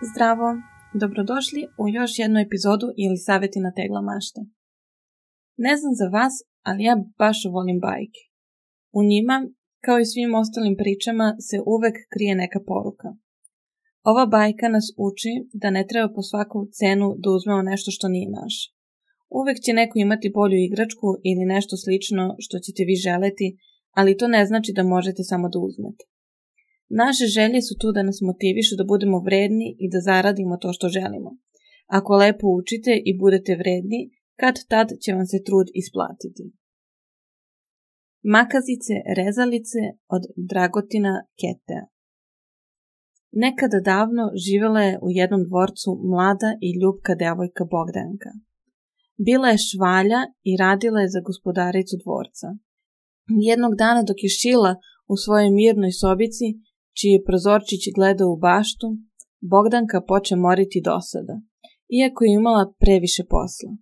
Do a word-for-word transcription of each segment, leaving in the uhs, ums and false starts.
Zdravo, dobrodošli u još jednu epizodu ili savjeti na tegla mašte. Ne znam za vas, ali ja baš volim bajke. U njima, kao i svim ostalim pričama, se uvek krije neka poruka. Ova bajka nas uči da ne treba po svaku cenu da uzmemo nešto što nije naše. Uvek će neko imati bolju igračku ili nešto slično što ćete vi želeti, ali to ne znači da možete samo da uzmete. Naše želje su tu da nas motivišu da budemo vredni i da zaradimo to što želimo. Ako lepo učite i budete vredni, kad tad će vam se trud isplatiti. Makazice rezalice od Dragotina Ketea. Nekada davno živjela je u jednom dvorcu mlada i ljubka devojka Bogdanka. Bila je švalja i radila je za gospodaricu dvorca. Jednog dana dok je šila u svojoj mirnoj sobici, čiji je prozorčić gledao u baštu, Bogdanka poče moriti dosada, iako je imala previše posla.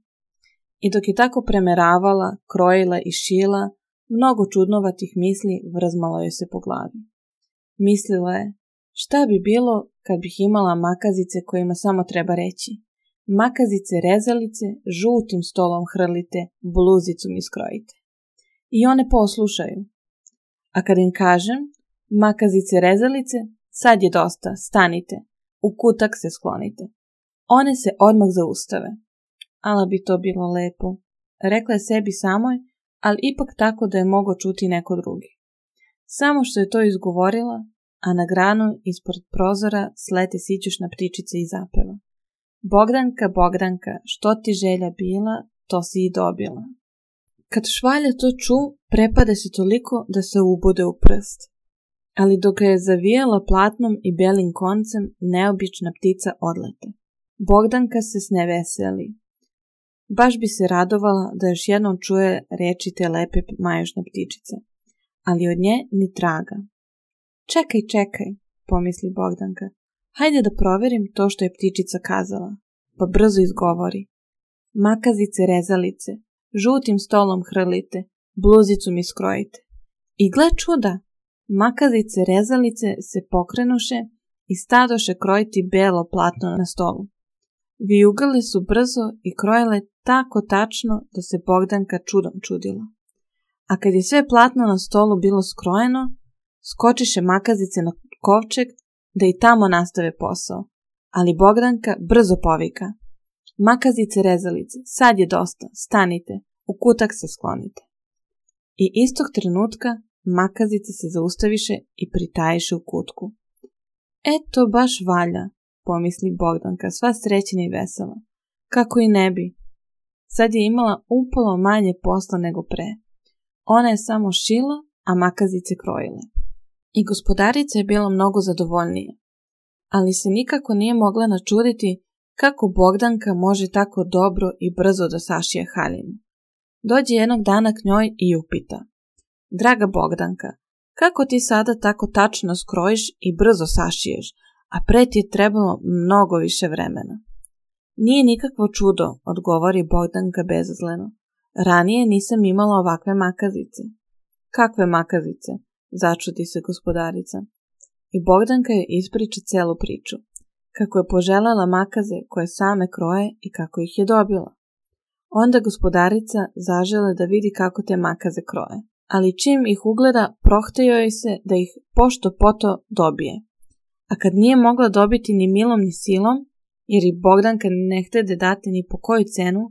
I dok je tako premeravala, krojila i šila, mnogo čudnovatih misli vrzmalo joj se po glavi. Mislila je, šta bi bilo kad bih imala makazice kojima samo treba reći: makazice rezalice, žutim stolom hrlite, bluzicu mi skrojite. I one poslušaju. A kad im kažem: makazice rezalice, sad je dosta, stanite, u kutak se sklonite, one se odmah zaustave. Ala bi to bilo lepo, rekla je sebi samoj, ali ipak tako da je mogao čuti neko drugi. Samo što je to izgovorila, a na granu ispod prozora slete sićušna ptičica i zapeva: Bogdanka, Bogdanka, što ti želja bila, to si i dobila. Kad švalja to ču, prepade se toliko da se ubude u prst. Ali dok ga je zavijala platnom i belim koncem, neobična ptica odlete. Bogdanka se sneveseli. Baš bi se radovala da još jednom čuje reči te lepe majušne ptičice, ali od nje ni traga. Čekaj, čekaj, pomisli Bogdanka, hajde da proverim to što je ptičica kazala, pa brzo izgovori: makazice rezalice, žutim stolom hrlite, bluzicu mi skrojite. I gle čuda! Makazice rezalice se pokrenuše i stadoše krojiti belo platno na stolu. Vijugale su brzo i krojile tako tačno da se Bogdanka čudom čudila. A kad je sve platno na stolu bilo skrojeno, skočiše makazice na kovčeg da i tamo nastave posao. Ali Bogdanka brzo povika: makazice rezalice, sad je dosta, stanite, u kutak se sklonite. I istog trenutka makazice se zaustaviše i pritajiše u kutku. Eto, baš valja, pomisli Bogdanka, sva srećena i vesela. Kako i ne bi. Sad je imala upola manje posla nego pre. Ona je samo šila, a makazice krojile. I gospodarica je bila mnogo zadovoljnija. Ali se nikako nije mogla načuditi kako Bogdanka može tako dobro i brzo da sašije haljinu. Dođe jednog dana k njoj i upita: Draga Bogdanka, kako ti sada tako tačno skrojiš i brzo sašiješ, a pre ti je trebalo mnogo više vremena? Nije nikakvo čudo, odgovori Bogdanka bezazleno. Ranije nisam imala ovakve makazice. Kakve makazice? Začudi se gospodarica. I Bogdanka je ispriča celu priču. Kako je poželjela makaze koje same kroje i kako ih je dobila. Onda gospodarica zažele da vidi kako te makaze kroje. Ali čim ih ugleda, prohtejo joj se da ih pošto poto dobije. A kad nije mogla dobiti ni milom ni silom, jer i Bogdanka ne htede dati ni po koju cenu,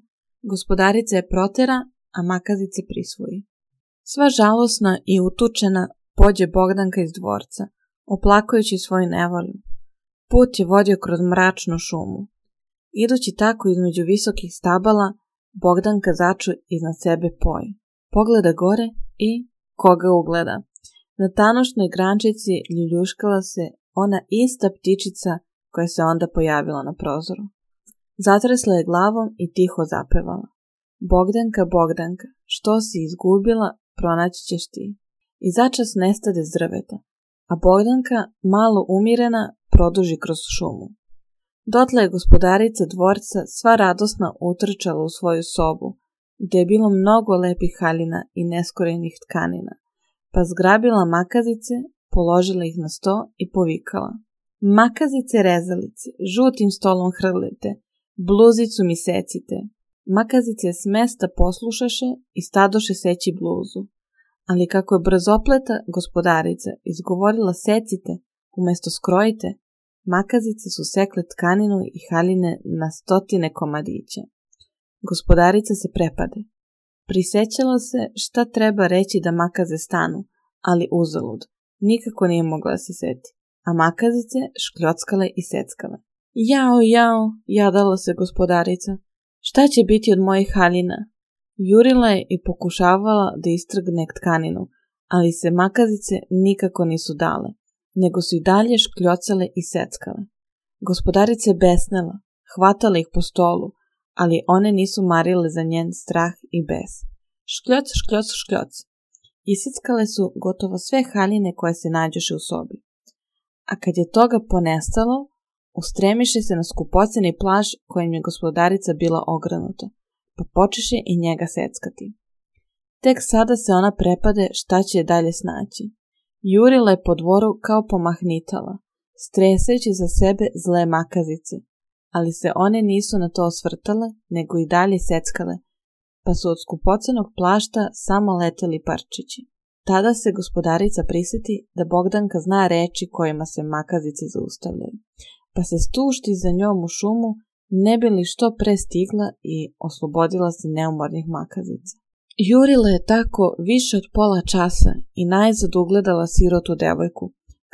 gospodarica je protera, a makazice prisvoji. Sva žalosna i utučena pođe Bogdanka iz dvorca, oplakujući svoju nevolju. Put je vodio kroz mračnu šumu. Idući tako između visokih stabala, Bogdanka začu iznad sebe poji. Pogleda gore i koga ugleda. Na tanušnoj grančici ljuljuškala se ona ista ptičica koja se onda pojavila na prozoru. Zatresla je glavom i tiho zapevala: Bogdanka, Bogdanka, što si izgubila, pronaći ćeš ti. I začas nestade s drveta, a Bogdanka, malo umirena, produži kroz šumu. Dotle je gospodarica dvorca sva radosna utrčala u svoju sobu, gdje je bilo mnogo lepih haljina i neskorenih tkanina, pa zgrabila makazice, položila ih na sto i povikala: Makazice rezalice, žutim stolom hrlite, bluzicu mi secite. Makazice s mesta poslušaše i stadoše seći bluzu. Ali kako je brzopleta gospodarica izgovorila secite umjesto skrojite, makazice su sekle tkaninu i haljine na stotine komadića. Gospodarica se prepade. Prisećala se šta treba reći da makaze stanu, ali uzalud. Nikako nije mogla da se seti, a makazice škljockale i seckale. Jao, jao, jadala se gospodarica. Šta će biti od mojih haljina? Jurila je i pokušavala da istrgne tkaninu, ali se makazice nikako nisu dale, nego su i dalje škljocale i seckale. Gospodarica je besnela, hvatala ih po stolu, ali one nisu marile za njen strah i bes. Škljoc, škljoc, škljoc. Isickale su gotovo sve haljine koje se nađoše u sobi. A kad je toga ponestalo, ustremiše se na skupoceni plaž kojim je gospodarica bila ogranuta, pa počeše i njega seckati. Tek sada se ona prepade šta će dalje snaći. Jurila je po dvoru kao pomahnitala, streseći za sebe zle makazice, ali se one nisu na to osvrtale, nego i dalje seckale, pa su od skupocenog plašta samo leteli parčići. Tada se gospodarica prisjeti da Bogdanka zna reči kojima se makazice zaustavljaju, pa se stušti za njom u šumu, ne bi li što pre stigla i oslobodila se neumornih makazica. Jurila je tako više od pola časa i najzad ugledala sirotu devojku,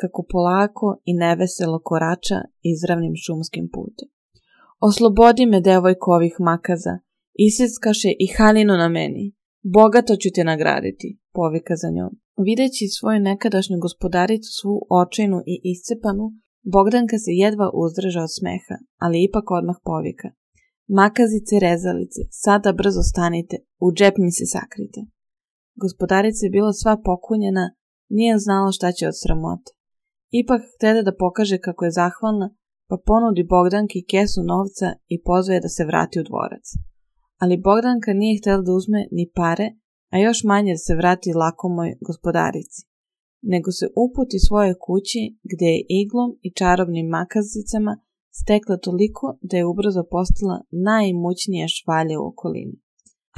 kako polako i neveselo korača izravnim šumskim putem. Oslobodi me, devojko, ovih makaza, iseckaše i haljinu na meni. Bogato ću te nagraditi, povika za njom. Videći svoju nekadašnju gospodaricu svu očajnu i iscepanu, Bogdanka se jedva uzdrža od smeha, ali ipak odmah povika. Makazice, rezalice, sada brzo stanite, u džep mi se sakrite. Gospodarica je bila sva pokunjena, nije znala šta će od sramote. Ipak htede da pokaže kako je zahvalna, pa ponudi Bogdanki kesu novca i pozove da se vrati u dvorac. Ali Bogdanka nije htjela da uzme ni pare, a još manje da se vrati lakomoj gospodarici, nego se uputi svojoj kući gdje je iglom i čarobnim makazicama stekla toliko da je ubrzo postala najimućnija švalja u okolini.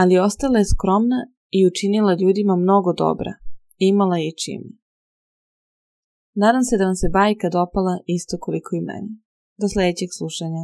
Ali ostala je skromna i učinila ljudima mnogo dobra, imala je i čime. Nadam se da vam se bajka dopala isto koliko i meni. Do sljedećeg slušanja.